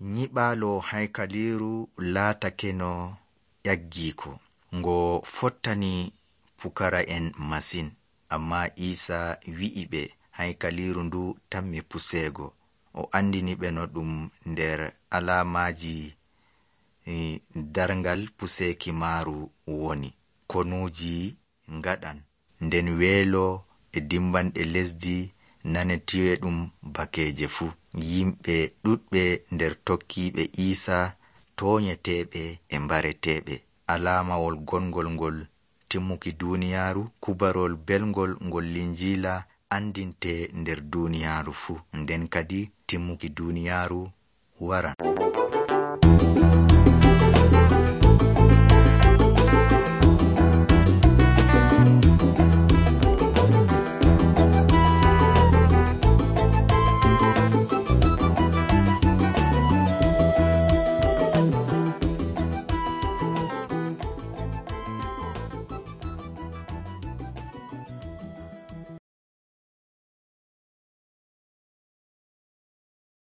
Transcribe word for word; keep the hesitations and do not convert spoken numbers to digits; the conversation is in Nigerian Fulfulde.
nyiɓaalo haykaliiru laatake no ƴaggiiko, ngo fottani pukara'en masin. Ammaa Iisaa wi'i ɓe haykaliiru ndu tammi puseego. O andini ɓe no ɗum nder alaamaaji e, darngal puseeki maaru woni. Konuuji ngaɗan, nden weelo e dimbanɗe lesdi nanetiiwe ɗum bakeeje fuu. Yimɓe ɗuɗɓe nder tokkiiɓe Iisaa toonyeteeɓe e mbareteeɓe. Alaamawol gongol ngol timmuki duuniyaaru, kubarol belngol ngol Linjiila andinte nder duuniyaaru fuu. Nden kadi timmuki duuniyaaru waran.